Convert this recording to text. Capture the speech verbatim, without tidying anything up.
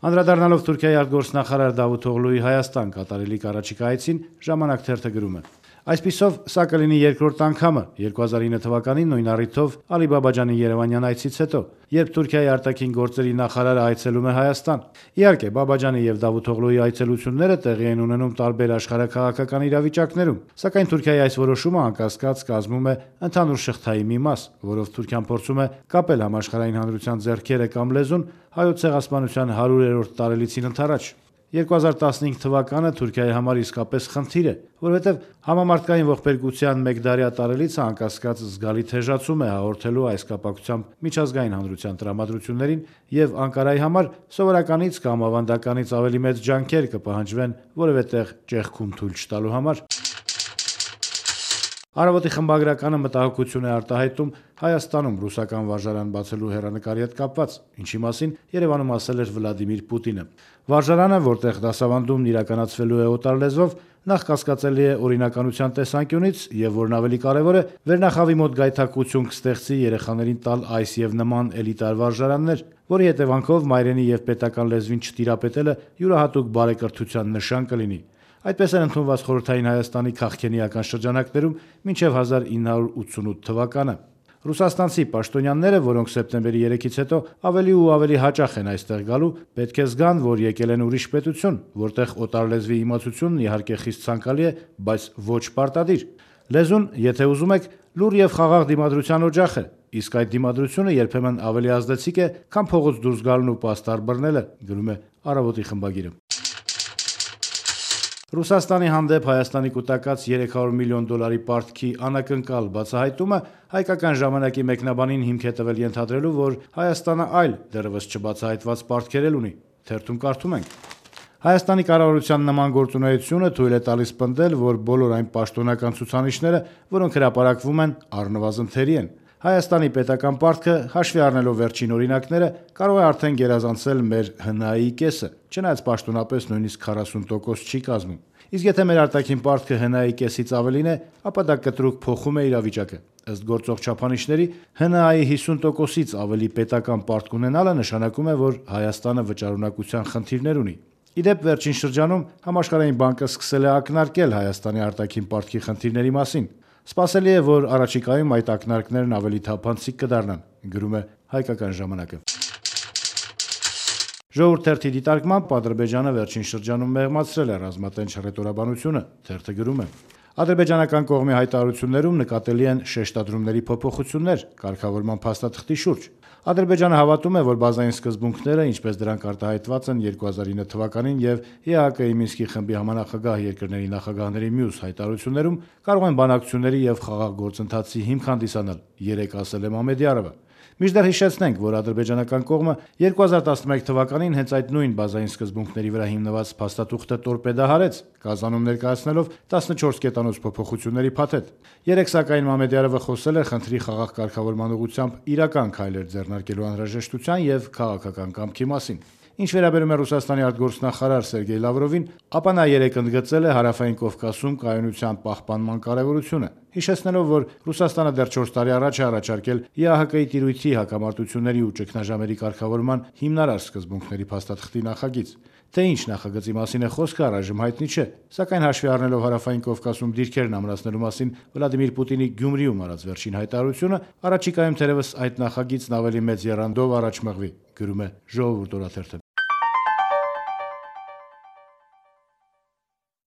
Անդրադառնալով Թուրքիայի արտգործնախարար Դավութօղլուի Հայաստան կատարելիք առաջիկա այցին, «Ժամանակ» թերթը գրում է. Այսպիսով, սա կլինի երկրորդ անգամը երկու հազար ինը թվականին նույն առիթով Ալի Բաբաջանի երևանյան այցից հետո, երբ Թուրքիայի արտաքին գործերի նախարարը այցելում է Հայաստան։ Իհարկե, Բաբաջանի եւ Դավութօղլուի այցելությունները տեղի են ունենում տարբեր աշխարհաքաղաքական իրավիճակներում, սակայն Թուրքիայի այս որոշումը անկասկած կազմում է ընդհանուր շղթայի մի մաս, որով Թուրքիան փորձում է կապել համաշխարհային հանրության ձեռքերը կամ լեզուն հայոց ցեղասպանության հարյուրերորդ տարելիցին ընդառաջ։ երկու հազար տասնհինգ թվականը Թուրքիայի համար իսկապես խնդիր է, որովհետև համամարտկային ողբերգության մեկդարյա տարելիցը անկասկած զգալի թեժացում է հաղորդելու այս կապակցությամբ միջազգային հանրության տրամադրություններին եւ Անկարայի համար սովորականից կամ ավանդականից ավելի մեծ ջանքեր կպահանջվեն որևէ տեղ ճեղքում թույլ չտալու համար։ Առավոտի խմբագրականը մտահոգություն է արտահայտում Հայաստանում ռուսական վարժարան բացելու հեռանկարի հետ կապված, ինչի մասին Երևանում ասել էր Վլադիմիր Պուտինը։ Վարժարանը, որտեղ դասավանդումն իրականացվելու է օտար լեզվով, նախ կասկածելի է օրինականության տեսանկյունից եւ որն ավելի կարեւոր է, վերնախավի մոտ գայթակղություն կստեղծի երեխաներին տալ այս եւ նման էլիտար վարժարաններ, որի հետևանքով մայրենի եւ պետական լեզվին չտիրապետելը յուրահատուկ բարեկրթության նշան կլինի։ Այդպես էր ընդունված խորհրդային Հայաստանի քաղաքենիական շրջանակներում մինչև հազար ինը հարյուր ութսունութ թվականը։ Ռուսաստանցի պաշտոնյաները, որոնք սեպտեմբերի երեքից հետո ավելի ու ավելի հաճախ են այստեղ գալու, պետք է զգան, որ եկել են ուրիշ պետություն, որտեղ օտար լեզվի իմացությունն իհարկե խիստ ցանկալի է, բայց ոչ պարտադիր։ Լեզուն, եթե ուզում եք, լուռ եւ խաղաղ դիմադրության օջախ է, իսկ այդ դիմադրությունը երբեմն ավելի ազդեցիկ է, քան փողոց դուրս գալն ու պաստառ բռնելը, գրում է Առավոտի խմբագիրը։ Ռուսաստանի հանդեպ Հայաստանի կուտակած երեք հարյուր միլիոն դոլարի պարտքի անակնկալ բացահայտումը հայկական ժամանակի մեկնաբանին հիմք է տվել ենթադրելու, որ Հայաստանը այլ դեռևս չբացահայտված պարտքեր էլ ունի։ Թերթում կարդում ենք. Հայաստանի կառավարության նման գործունեությունը թույլ է տալիս պնդել, որ բոլոր այն պաշտոնական ցուցանիշները, որոնք հրապարակվում են, առնվազն թերի են։ Հայաստանի պետական պարտքը, հաշվի առնելով վերջին օրինակները, կարող է արդեն գերազանցել մեր ՀՆԱ -ի կեսը, չնայած պաշտոնապես նույնիսկ քառասուն տոկոս չի կազմում։ Իսկ եթե մեր արտաքին պարտքը ՀՆԱ -ի կեսից ավելին է, ապա դա կտրուկ փոխում է իրավիճակը։ Ըստ գործող չափանիշների, ՀՆԱ-ի հիսուն տոկոսից ավելի պետական պարտք ունենալը նշանակում է, որ Հայաստանը վճարունակության խնդիրներ ունի։ Իդեպ, վերջին շրջանում Համաշխարհային բանկը սկսել է ակնարկել Հայաստանի արտաքին պարտքի խնդիրների մասին։ Սպասելի է, որ առաջիկայում այդ ակնարկներն ավելի թափանցիկ կդառնան, գրում է Հայկական ժամանակը։ Ժողովուրդ թերթի դիտարկմամբ Ադրբեջանը վերջին շրջանում մեղմացրել է ռազմատենչ հռետորաբանությունը, թերթը գրում է. Ադրբեջանական կողմի հայտարարություններում նկատելի են շեշտադրումների փոփոխություններ կարգավորման փաստաթղթի շուրջ։ Ադրբեջանը հավատում է, որ բազային սկզբունքները, ինչպես դրանք արտահայտված են երկու հազար ինը թվականին եւ ԵԱՀԿ-ի Մինսկի խմբի համանախագահ երկրների նախագահների մյուս հայտարարություններում, կարող են բանակցությունների եւ խաղաղ գործընթացի հիմք հանդիսանալ, երեկ ասել է Մամեդյարովը։ Մինչդեռ հիշեցնենք, որ ադրբեջանական կողմը երկու հազար տասնմեկ թվականին հենց այդ նույն բազային սկզբունքների վրա հիմնված փաստաթուղթը տորպեդահարեց, Կազանում ներկայացնելով տասնչորս կետանոց փոփոխությունների փաթեթ։ Երեկ սակայն Մամեդյարովը խոսել է խնդրի խաղաղ կարգավորման ուղղությամբ իրական քայլեր ձեռնարկելու անհրաժեշտության եւ քաղաքական կամքի մասին։ Ինչ վերաբերում է Ռուսաստանի արտգործնախարար Սերգեյ Լավրովին, ապա նա երեկ ընդգծել է Հարավային Կովկասում կայունության պահպանման կարևորությունը, հիշեցնելով, որ Ռուսաստանը դեռ չորս տարի առաջ է առաջարկել ԵԱՀԿ-ի տիրույթի հակամարտությունների ու ճգնաժամերի կարգավորման հիմնարար սկզբունքների փաստաթղթի նախագիծ։ Թե ինչ նախագծի մասին է խոսքը, առայժմ հայտնի չէ, սակայն հաշվի առնելով Հարավային Կովկասում դիրքերն ամրացնելու մասին Վլադիմիր Պուտինի Գյումրիում արած վերջին հայտարարությունը, առաջիկայում թերևս այդ նախագիծն ավելի մեծ եռանդով առաջ մղվի, գրում է Ժողովուրդ օրաթերթը։